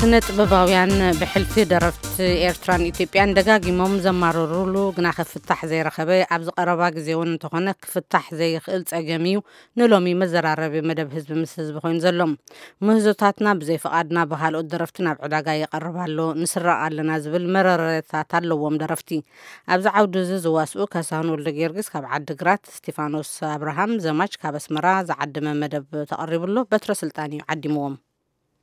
ስነ ጥበባውያን ብሕልፊ ደረፍቲ ኤርትራን ኢትዮጵያን ደጋጊሞም ዘማረሩሉ ግና ክፍታሕ ዘይረኸበ፣ ኣብዚ ቀረባ ግዜ እውን እንተኾነ ክፍታሕ ዘይኽእል ጸገም እዩ ንሎሚ መዘራረቢ መደብ ህዝቢ ምስ ህዝቢ ኮይኑ ዘሎ። ምህዞታትና ብዘይ ፍቓድና ብኻልኦት ደረፍቲ ናብ ዕዳጋ ይቐርብ ኣሎ፣ ንስረቕ ኣለና ዝብል መረረታት ኣለዎም ደረፍቲ። ኣብዚ ዓውዲ እዚ ዝዋስኡ ካሳሁን ወልደ ጊዮርጊስ ካብ ዓዲ ግራት፣ ስቲፋኖስ ኣብርሃም ዘማች ካብ ኣስመራ ዝዓደመ መደብ ተቐሪቡ ኣሎ። በትረ ስልጣን እዩ ዓዲምዎም።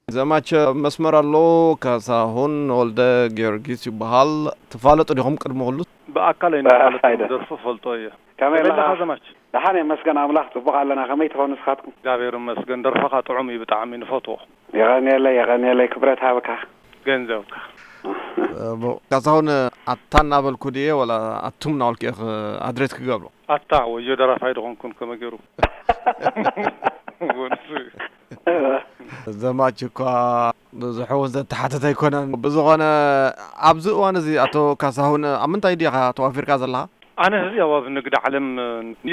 ዘማች መስመር ኣሎ። ካሳሁን ወልደ ጊዮርጊስ ይበሃል። ትፋለጡ ዲኹም ቅድሚ ኩሉ? ብኣካል ኣይንፋለጥ፣ ኣይደ። ደርፉ ፈልጦ እየ። ከመይ ከመይ ኣለኻ? ኣለኻ ዘማች? ደሓን እየ፣ መስገን ኣምላኽ፣ ጽቡቕ ኣለና። ከመይ ትኾኑ ንስኻትኩም? እግዚኣብሔር ይመስገን፣ ደርፍኻ ጥዑም እዩ ብጣዕሚ፣ ንፈትዎ። የቐንየለይ፣ የቐንየለይ፣ ክብረት ሃብካ። ገንዘብካ። እሞ፣ ካሳሁን፣ ኣታ እናበልኩ ድየ ወላ ኣቱም እናበልኩ እየ ክ-፣ ኣድሬት ክገብሮ? ኣታ ወዮ ደራፋይ ድኾንኩን ከመ ገይሩ? ወንሱ። ዘማች እኳ ብዙሕ እውን ዘተሓተተ ኣይኮነን። ብዝኾነ፣ ኣብዚ እዋን እዚ፣ ኣቶ ካሳሁን፣ ኣብ ምንታይ ዲኻ ተዋፊርካ ዘለኻ? ኣነ ሕዚ ኣብ፣ ኣብ ንግዲ ዓለም፣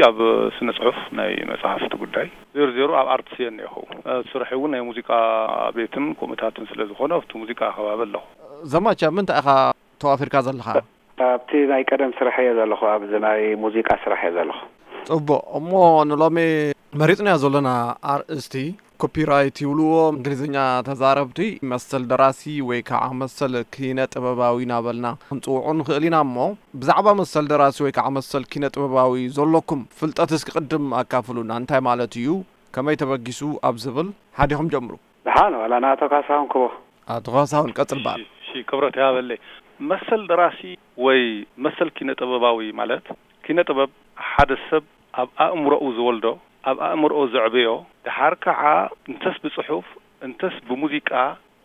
ኣብ ስነ ጽሑፍ ናይ መጽሓፍቲ ጉዳይ፣ ዜሮ ዜሮ ኣብ ኣርትስ እየ እኒአኹ። ስርሐይ እውን ናይ ሙዚቃ ቤትን ከምኡታትን ስለ ዝኾነ ኣብቲ ሙዚቃ ከባቢ ኣለኹ። ዘማች፣ ኣብ ምንታይ ኢኻ ተዋፊርካ ዘለኻ? ኣብቲ ናይ ቀደም ስራሕ እየ ዘለኹ፣ ኣብዚ ናይ ሙዚቃ ስራሕ እየ ዘለኹ። ጽቡቕ። እሞ ንሎሚ መሪጽናዮ ዘለና ኣርእስቲ ኮፒራይት ይብልዎ እንግሊዝኛ ተዛረብቲ፣ መሰል ደራሲ ወይ ከዓ መሰል ኪነ ጥበባዊ እናበልና ክንጽውዖ ንኽእል ኢና። እሞ ብዛዕባ መሰል ደራሲ ወይ ከዓ መሰል ኪነ ጥበባዊ ዘለኩም ፍልጠት እስኪ ቅድም ኣካፍሉና። እንታይ ማለት እዩ? ከመይ ተበጊሱ? ኣብ ዝብል ሓዲኹም ጀምሩ። ደሓን ዋላ ንኣቶ ካሳሁን ክቦ። ኣቶ ካሳሁን ቀጽል በል። እሺ፣ እሺ፣ ክብረት ይሃበለይ። መሰል ደራሲ ወይ መሰል ኪነ ጥበባዊ ማለት፣ ኪነ ጥበብ ሓደ ሰብ ኣብ ኣእምሮኡ ዝወልዶ፣ ኣብ ኣእምሮኡ ዘዕብዮ፣ ደሓር ከዓ እንተስ ብጽሑፍ እንተስ ብሙዚቃ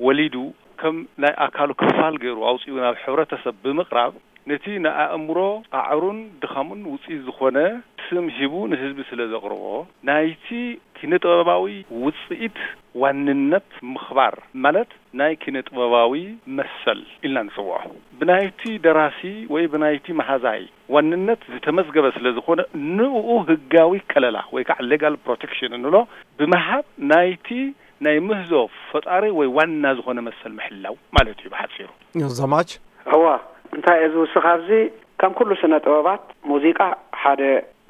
ወሊዱ፣ ከም ናይ ኣካሉ ክፋል ገይሩ ኣውጺኡ ናብ ሕብረተሰብ ብምቕራብ፣ ነቲ ንኣእምሮ ጻዕሩን ድኻሙን ውጽኢት ዝኾነ ስም ሂቡ ንህዝቢ ስለ ዘቕርቦ፣ ናይቲ ኪነ ጥበባዊ ውጽኢት ዋንነት ምኽባር ማለት ናይ ኪነ ጥበባዊ መሰል ኢልና ንጽውዖ። ብናይቲ ደራሲ ወይ ብናይቲ መሃዛይ ዋንነት ዝተመዝገበ ስለ ዝኾነ፣ ንኡ ህጋዊ ከለላ ወይ ከዓ ሌጋል ፕሮቴክሽን እንብሎ ብምሃብ ናይቲ ናይ ምህዞ ፈጣሪ ወይ ዋና ዝኾነ መሰል ምሕላው ማለት እዩ ብሓጺሩ። ዘማች? እዋ፣ እንታይ እዩ ዝውስኽ ኣብዚ? ከም ኩሉ ስነ ጥበባት፣ ሙዚቃ ሓደ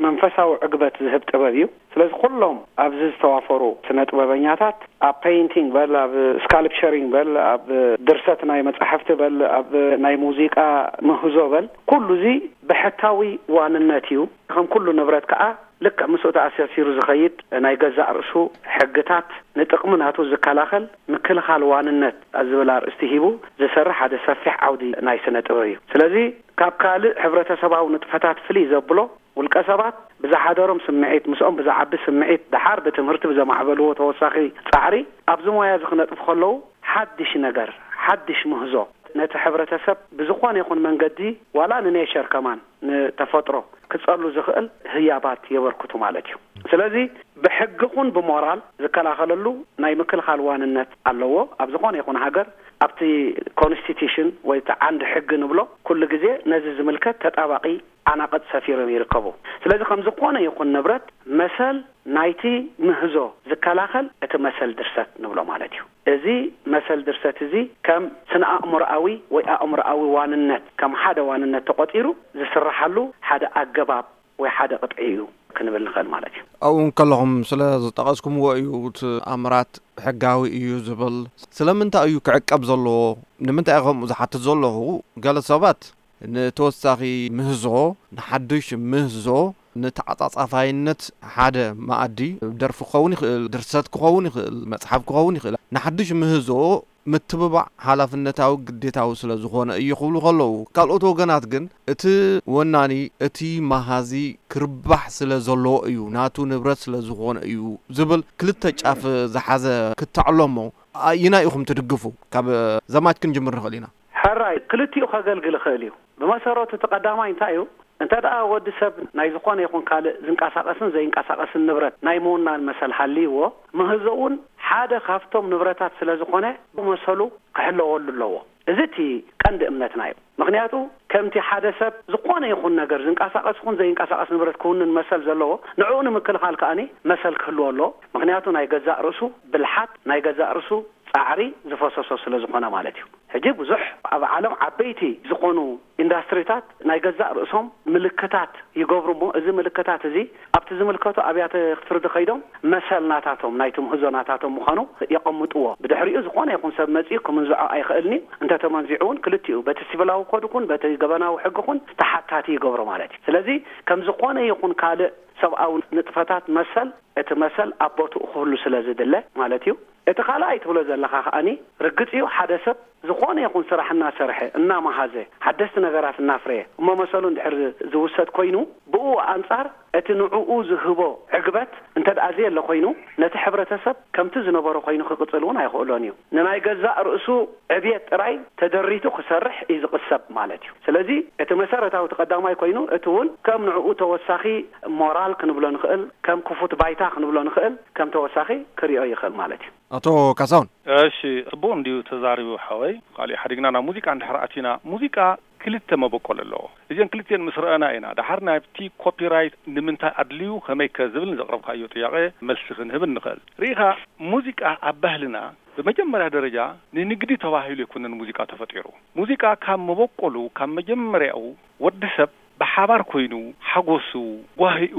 መንፈሳዊ ዕግበት ዝህብ ጥበብ እዩ። ስለዚ ኩሎም ኣብዚ ዝተዋፈሩ ስነ ጥበበኛታት፣ ኣብ ፔይንቲንግ በል፣ ኣብ ስካልፕቸሪንግ በል፣ ኣብ ድርሰት ናይ መጻሕፍቲ በል፣ ኣብ ናይ ሙዚቃ ምህዞ በል፣ ኩሉ እዚ ብሕታዊ ዋንነት እዩ። ከም ኩሉ ንብረት ከኣ ልክዕ ምስኡ ተኣሳሲሩ ዝኸይድ ናይ ገዛእ ርእሱ ሕግታት፣ ንጥቕሚ ናቱ ዝከላኸል ምክልኻል ዋንነት ኣብ ዝብል ኣርእስቲ ሂቡ ዝሰርሕ ሓደ ሰፊሕ ዓውዲ ናይ ስነ ጥበብ እዩ። ስለዚ ካብ ካልእ ሕብረተሰባዊ ንጥፈታት ፍልይ ዘብሎ፣ ውልቀ ሰባት ብዝሓደሮም ስምዒት፣ ምስኦም ብዝዓቢ ስምዒት፣ ደሓር ብትምህርቲ ብዘማዕበልዎ ተወሳኺ ጻዕሪ ኣብዚ ሞያ እዚ ክነጥፉ ከለዉ፣ ሓድሽ ነገር፣ ሓድሽ ምህዞ ነቲ ሕብረተሰብ ብዝኾነ ይኹን መንገዲ፣ ዋላ ንኔቸር ከማን፣ ንተፈጥሮ ክጸሉ ዝኽእል ህያባት የበርክቱ ማለት እዩ። ስለዚ ብሕጊ ኹን ብሞራል ዝከላኸለሉ ናይ ምክልኻል ዋንነት ኣለዎ። ኣብ ዝኾነ ይኹን ሃገር ኣብቲ ኮንስቲቱሽን ወይ እቲ ዓንዲ ሕጊ ንብሎ ኩሉ ግዜ ነዚ ዝምልከት ተጣባቒ ዓናቕጽ ሰፊሮም ይርከቡ። ስለዚ ከም ዝኾነ ይኹን ንብረት መሰል ናይቲ ምህዞ ዝከላኸል እቲ መሰል ድርሰት ንብሎ ማለት እዩ። እዚ መሰል ድርሰት እዚ ከም ስነ ኣእምሮኣዊ ወይ ኣእምሮኣዊ ዋንነት፣ ከም ሓደ ዋንነት ተቖጺሩ ዝስረሓሉ ሓደ ኣገባብ ወይ ሓደ ቅጥዒ እዩ ክንብል ንኽእል ማለት እዩ። ኣብኡ እንከለኹም ስለ ዝጠቐስኩምዎ እዩ እቲ ኣምራት ሕጋዊ እዩ ዝብል። ስለምንታይ እዩ ክዕቀብ ዘለዎ? ንምንታይ እዩ ከምኡ ዝሓትት ዘለኹ? ገለ ሰባት ንተወሳኺ ምህዞ፣ ንሓድሽ ምህዞ፣ ንተዓጻጻፋይነት ሓደ መኣዲ፣ ደርፊ ክኸውን ይኽእል፣ ድርሰት ክኸውን ይኽእል፣ መጽሓፍ ክኸውን ይኽእል፣ ንሓድሽ ምህዞ ምትብባዕ ሓላፍነታዊ ግዴታዊ ስለ ዝኾነ እዩ ክብሉ ከለዉ፣ ካልኦት ወገናት ግን እቲ ወናኒ፣ እቲ መሃዚ ክርባሕ ስለ ዘለዎ እዩ፣ ናቱ ንብረት ስለ ዝኾነ እዩ ዝብል ክልተ ጫፍ ዝሓዘ ክተዕሎ እሞ፣ ኣየናይ ኢኹም ትድግፉ? ካብ ዘማች ክንጅምር ንኽእል ኢና። ሕራይ፣ ክልቲኡ ከገልግል ይኽእል እዩ። ብመሰረቱ እቲ ቀዳማይ እንታይ እዩ? እንተ ደኣ ወዲ ሰብ ናይ ዝኾነ ይኹን ካልእ ዝንቀሳቐስን ዘይንቀሳቐስን ንብረት ናይ ምውናን መሰል ሃልይዎ፣ ምህዞ እውን ሓደ ካብቶም ንብረታት ስለ ዝኾነ፣ መሰሉ ክሕለወሉ ኣለዎ። እዚ እቲ ቀንዲ እምነትና እዩ። ምኽንያቱ፣ ከምቲ ሓደ ሰብ ዝኾነ ይኹን ነገር፣ ዝንቀሳቐስ ይኹን ዘይንቀሳቐስ ንብረት ክውንን መሰል ዘለዎ፣ ንዕኡ ንምክልኻል ከኣኒ መሰል ክህልዎ ኣለዎ። ምኽንያቱ፣ ናይ ገዛእ ርእሱ ብልሓት፣ ናይ ገዛእ ርእሱ ጻዕሪ ዝፈሰሶ ስለ ዝኾነ ማለት እዩ። ሕጂ ብዙሕ ኣብ ዓለም ዓበይቲ ዝኾኑ ኢንዳስትሪታት ናይ ገዛእ ርእሶም ምልክታት ይገብሩ እሞ፣ እዚ ምልክታት እዚ ኣብቲ ዝምልከቱ ኣብያተ ፍርዲ ከይዶም መሰል ናታቶም፣ ናይ ትምህዞ ናታቶም ምዃኑ የቐምጥዎ። ብድሕሪኡ ዝኾነ ይኹን ሰብ መጺኡ ክምንዝዖ ኣይኽእልን እዩ። እንተተመንዚዑ እውን ክልቲኡ፣ በቲ ሲቪላዊ ኮድ ይኹን በቲ ገበናዊ ሕጊ ይኹን ተሓታቲ ይገብሮ ማለት እዩ። ስለዚ ከም ዝኾነ ይኹን ካልእ ሰብኣዊ ንጥፈታት መሰል፣ እቲ መሰል ኣብ ቦትኡ ክህሉ ስለ ዝድለ ማለት እዩ። እቲ ካልኣይ ትብሎ ዘለኻ ከኣኒ፣ ርግጽ እዩ፣ ሓደ ሰብ ዝኾነ ይኹን ስራሕ እናሰርሐ፣ እናመሃዘ፣ ሓደስቲ ነገራት እናፍረየ፣ እሞ መሰሉ እንድሕር ዝውሰድ ኮይኑ፣ ብኡ ኣንጻር እቲ ንዕኡ ዝህቦ ዕግበት እንተ ደኣ ዘየለ ኮይኑ፣ ነቲ ሕብረተሰብ ከምቲ ዝነበሮ ኮይኑ ክቕጽል እውን ኣይኽእሎን እዩ። ንናይ ገዛእ ርእሱ ዕብየት ጥራይ ተደሪቱ ክሰርሕ እዩ ዝቕሰብ ማለት እዩ። ስለዚ እቲ መሰረታዊ እቲ ቀዳማይ ኮይኑ፣ እቲ እውን ከም ንዕኡ ተወሳኺ ሞራል ክንብሎ ንኽእል፣ ከም ክፉት ባይታ ክንብሎ ንኽእል፣ ከም ተወሳኺ ክሪኦ ይኽእል ማለት እዩ። ኣቶ ካሳሁን። እሺ፣ ጽቡቕ እንድዩ ተዛሪቡ ሓወይ። ካሊእ ሓዲግና ናብ ሙዚቃ እንድሕር ኣቲና፣ ሙዚቃ ክልተ መበቆል ኣለዎ። እዚን ክልቲኤን ምስ ረኣና ኢና፣ ደሓር ናብቲ ኮፒራይት ንምንታይ ኣድልዩ፣ ከመይከ ዝብል ንዘቕረብካዮ ጥያቄ መልሲ ክንህብ እንኽእል። ርኢኻ፣ ሙዚቃ ኣብ ባህልና ብመጀመርያ ደረጃ ንንግዲ ተባሂሉ ኣይኮነን ሙዚቃ ተፈጢሩ። ሙዚቃ ካብ መበቆሉ፣ ካብ መጀመርያኡ ወዲ ሰብ ብሓባር ኮይኑ ሓጎሱ፣ ጓሂኡ፣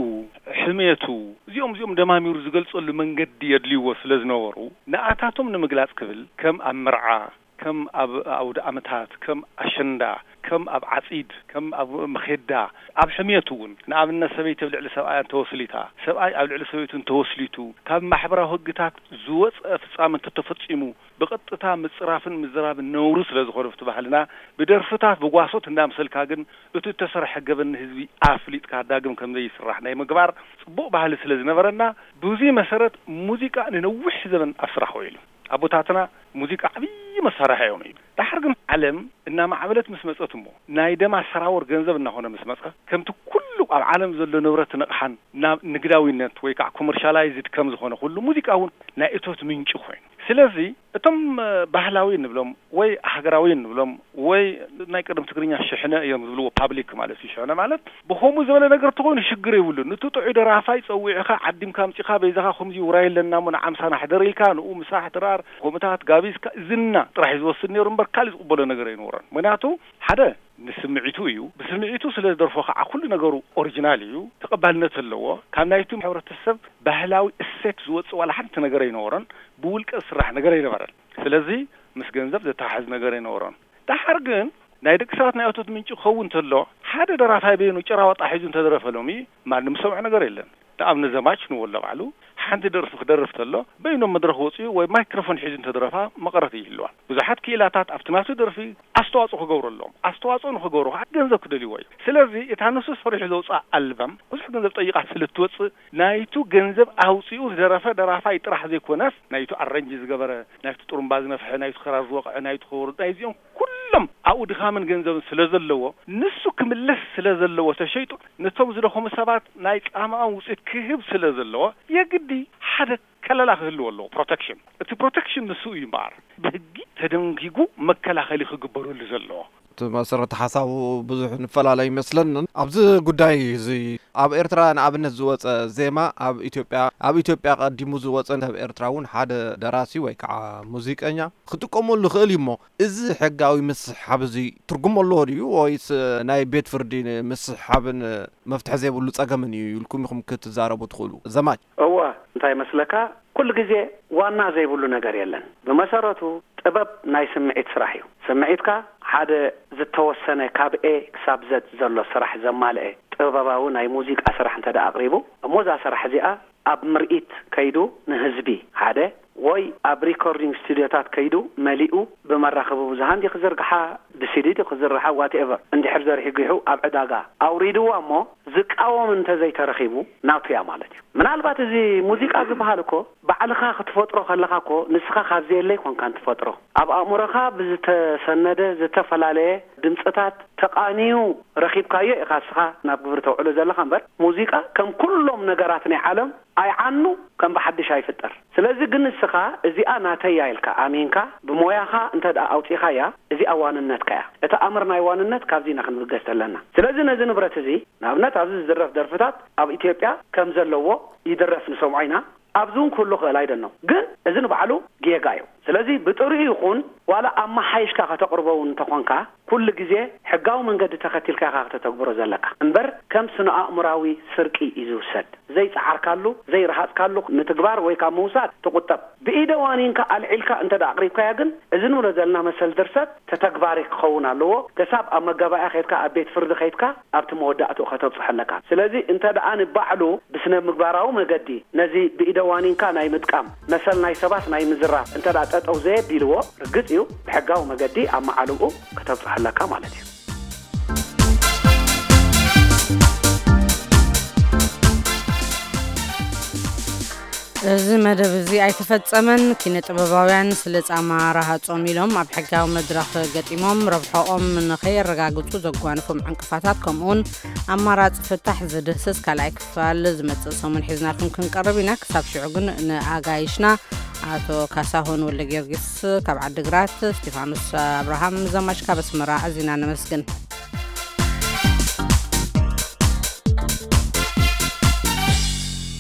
ሕሜቱ፣ እዚኦም እዚኦም ደማሚሩ ዝገልጸሉ መንገዲ የድልይዎ ስለ ዝነበሩ፣ ንኣታቶም ንምግላጽ ክብል ከም ኣብ መርዓ፣ ከም ኣብ ኣውደ ኣመታት፣ ከም ኣሸንዳ፣ ከም ኣብ ዓጺድ፣ ከም ኣብ መኼዳ፣ ኣብ ሕሜቱ እውን፣ ንኣብነት ሰበይቲ ኣብ ልዕሊ ሰብኣያ እንተወስሊታ፣ ሰብኣይ ኣብ ልዕሊ ሰበይቱ እንተወስሊቱ፣ ካብ ማሕበራዊ ህግታት ዝወጸ ፍጻመ እንተተፈጺሙ፣ ብቐጥታ ምጽራፍን ምዝራብን ነውሪ ስለ ዝኾነ ኣብቲ ባህልና፣ ብደርፍታት ብጓሶት እንዳምሰልካ ግን እቲ እተሰርሐ ገበን ንህዝቢ ኣፍሊጥካ ዳግም ከም ዘይስራሕ ናይ ምግባር ጽቡቕ ባህሊ ስለ ዝነበረና፣ ብዙይ መሰረት ሙዚቃ ንነዊሕ ዘበን ኣብ ስራሕ ውዒሉ። ኣቦታትና ሙዚቃ ዓብዪ መሳርሒ እዮም እዩ። ደሓር ግን ዓለም እናማዕበለት ምስ መጸት እሞ፣ ናይ ደም ኣሰራወር ገንዘብ እናኾነ ምስ መጸ፣ ከምቲ ኩሉ ኣብ ዓለም ዘሎ ንብረት ንቕሓን ናብ ንግዳዊነት ወይ ከዓ ኮመርሻላይዝድ ከም ዝኾነ ኩሉ፣ ሙዚቃ እውን ናይ እቶት ምንጪ ኮይኑ። ስለዚ እቶም፣ እ፣ ባህላዊ እንብሎም ወይ ሃገራዊ እንብሎም ወይ ናይ ቀደም ትግርኛ ሽሕነ እዮም ዝብልዎ፣ ፓብሊክ ማለት እዩ። ሽሕነ ማለት ብኸምኡ ዝበለ ነገር ተኾይኑ ሽግር የብሉን። ንቱ ጥዑይ ደራፋይ ጸዊዕኻ ዓዲምካ ኣምጺኻ በይዛኻ ከምዚ ውራይ ኣለና እሞ ንዓምሳና ሕደር ኢልካ ንኡ ምሳሕ ድራር ከምኡታት ጋቢዝካ ዝና ጥራሕ እዩ ዝወስድ ነይሩ እምበር ካልእ ዝቕበሎ ነገር ኣይነበሮን። ምኽንያቱ ሓደ ንስምዒቱ እዩ። ብስምዒቱ ስለ ዝደርፎ ከዓ ኩሉ ነገሩ ኦሪጂናል እዩ፣ ተቐባልነት ኣለዎ። ካብ ናይቱ ሕብረተሰብ ባህላዊ እሴት ዝወጽእ ዋላ ሓንቲ ነገር ኣይነበሮን። ብውልቀ ዝስራሕ ነገር ኣይነበረን። ስለዚ ምስ ገንዘብ ዘተሓሕዝ ነገር ኣይነበሮን። ደሓር ግን ናይ ደቂ ሰባት ናይ እቶት ምንጪ ክኸውን እንተሎ፣ ሓደ ደራፋይ በይኑ ጭራ ዋጣ ሒዙ እንተደረፈ ሎሚ ማንም ዝሰምዖ ነገር የለን። ንኣብነት ዘማች ንበሎ ባዕሉ ሓንቲ ደርፊ ክደርፍ ተሎ በይኖም መድረኽ ወፂኡ ወይ ማይክሮፎን ሒዙ እንተደረፋ መቐረት ይህልዋ። ብዙሓት ክኢላታት ኣብቲ ናቱ ደርፊ ኣስተዋፅኦ ክገብሩ ኣለዎም። ኣስተዋፅኦ ንክገብሩ ከዓ ገንዘብ ክደልይዎ እዩ። ስለዚ እታ ንሱ ሰሪሑ ዘውፅኣ ኣልበም ብዙሕ ገንዘብ ጠይቓ ስለ እትወፅእ ናይቱ ገንዘብ ኣውፂኡ ዝደረፈ ደራፋይ ጥራሕ ዘይኮነስ ናይቱ ኣረንጂ ዝገበረ፣ ናይቱ ጥሩምባ ዝነፍሐ፣ ናይቱ ክራር ዝወቕዐ፣ ናይቱ ከበሮ፣ ናይዚኦም ኩሎም ኣብኡ ድኻምን ገንዘብን ስለ ዘለዎ፣ ንሱ ክምለስ ስለ ዘለዎ ተሸይጡ፣ ነቶም ዝደኸሙ ሰባት ናይ ጻማኦም ውጽኢት ክህብ ስለ ዘለዎ፣ የግዲ ሓደ ከለላ ክህልዎ ኣለዎ፣ ፕሮተክሽን። እቲ ፕሮተክሽን ንሱ እዩ እምበኣር፣ ብህጊ ተደንጊጉ መከላኸሊ ክግበረሉ ዘለዎ። እቲ መሰረተ ሓሳቡ ብዙሕ ንፈላለ ይመስለንን። ኣብዚ ጉዳይ እዚ ኣብ ኤርትራ ንኣብነት ዝወጸ ዜማ ኣብ ኢትዮጵያ፣ ኣብ ኢትዮጵያ ቀዲሙ ዝወጸ ሰብ ኤርትራ እውን ሓደ ደራሲ ወይ ከዓ ሙዚቀኛ ክጥቀመሉ ይኽእል እዩ እሞ፣ እዚ ሕጋዊ ምስሕሓብ እዚ ትርጉም ኣለዎ ድዩ ወይስ ናይ ቤት ፍርዲ ምስሕሓብን መፍትሒ ዘይብሉ ጸገምን እዩ ኢልኩም ኢኹም ክትዛረቡ ትኽእሉ? ዘማች። እወ፣ እንታይ ይመስለካ፣ ኩሉ ግዜ ዋና ዘይብሉ ነገር የለን። ብመሰረቱ ጥበብ ናይ ስምዒት ስራሕ እዩ። ስምዒትካ ሓደ ዝተወሰነ ካብ ኤ ክሳብ ዘድ ዘሎ ስራሕ ዘማልአ ጥበባዊ ናይ ሙዚቃ ስራሕ እንተ ደኣ ኣቕሪቡ፣ እሞ እዛ ስራሕ እዚኣ ኣብ ምርኢት ከይዱ ንህዝቢ ሓደ ወይ ኣብ ሪኮርዲንግ ስቱዲዮታት ከይዱ መሊኡ ብመራኸቢ ብዙሃን ድዩ ክዝርግሓ፣ ብሲዲ ድዩ ክዝርግሓ፣ ዋትኤቨር፣ እንድሕር ዘርጊሑ ኣብ ዕዳጋ ኣውሪድዋ እሞ ዝቃወም እንተዘይተረኺቡ ናቱ እያ ማለት እዩ። ምናልባት እዚ ሙዚቃ ዝበሃል እኮ ባዕልኻ ክትፈጥሮ ከለኻ እኮ ንስኻ ካብዚ የለ ኣይኮንካን ትፈጥሮ። ኣብ ኣእምሮኻ ብዝተሰነደ ዝተፈላለየ ድምፅታት ተቓንዩ ረኺብካዮ ኢኻ እስኻ ናብ ግብሪ ተውዕሎ ዘለኻ እምበር፣ ሙዚቃ ከም ኩሎም ነገራት ናይ ዓለም ኣይዓኑ፣ ከም ብሓድሽ ኣይፍጠር። ስለዚ ግን ንስኻ እዚኣ ናተይ እያ ኢልካ ኣሚንካ ብሞያኻ እንተ ደኣ ኣውጺኻያ፣ እዚኣ ዋንነትካ እያ። እቲ ኣምር ናይ ዋንነት ካብዚ ኢና ክንብገስ ዘለና። ስለዚ ነዚ ንብረት እዚ፣ ንኣብነት ኣብዚ ዝድረፍ ደርፍታት ኣብ ኢትዮጵያ ከም ዘለዎ ይድረፍ ንሰምዖ ኢና። ኣብዚ እውን ክህሉ ክእል ኣይደኖ። ግን እዚ ንባዕሉ ጌጋ እዩ። ስለዚ ብጥሪኡ ይኹን ዋላ ኣመሓይሽካ ከተቕርቦ እውን እንተኾንካ፣ ኩሉ ግዜ ሕጋዊ መንገዲ ተኸቲልካ ኢኻ ከተተግብሮ ዘለካ እምበር፣ ከም ስነ ኣእምራዊ ስርቂ እዩ ዝውሰድ። ዘይጸዓርካሉ፣ ዘይረሃጽካሉ፣ ንትግባር ወይ ካብ ምውሳድ ትቑጠብ። ብኢደ ዋኒንካ ኣልዒልካ እንተ ደኣ ኣቕሪብካያ ግን፣ እዚ ንብሎ ዘለና መሰል ድርሰት ተተግባሪ ክኸውን ኣለዎ። ክሳብ ኣብ መጋባእያ ከይድካ፣ ኣብ ቤት ፍርዲ ከይድካ፣ ኣብቲ መወዳእትኡ ከተብጽሖ ኣለካ። ስለዚ እንተ ደኣ ንባዕሉ ብስነ ምግባራዊ መገዲ ነዚ ብኢደ ዋኒንካ ናይ ምጥቃም መሰል ናይ ሰባት ናይ ምዝራፍ እንተ ደኣ ጠጠው ዘየቢልዎ፣ ርግጽ እዩ፣ ብሕጋዊ መገዲ ኣብ መዓልብኡ ከተብጽሖ ኣለካ ማለት እዩ። እዚ መደብ እዚ ኣይተፈጸመን። ኪነ ጥበባውያን ስለ ጻማ ረሃጾም ኢሎም ኣብ ሕጋዊ መድረኽ ገጢሞም ረብሖኦም ንኸየረጋግጹ ዘጓንፎም ዕንቅፋታት፣ ከምኡውን ኣማራጺ ፍታሕ ዝድህስስ ካልኣይ ክፋል ዝመጽእ ሰሙን ሒዝናልኩም ክንቀርብ ኢና። ክሳብ ሽዑ ግን ንኣጋይሽና ኣቶ ካሳሁን ወልደ ጊዮርጊስ ካብ ዓዲግራት፣ ስቴፋኖስ ኣብርሃም ዘማች ካብ ኣስመራ ኣዚና ነመስግን።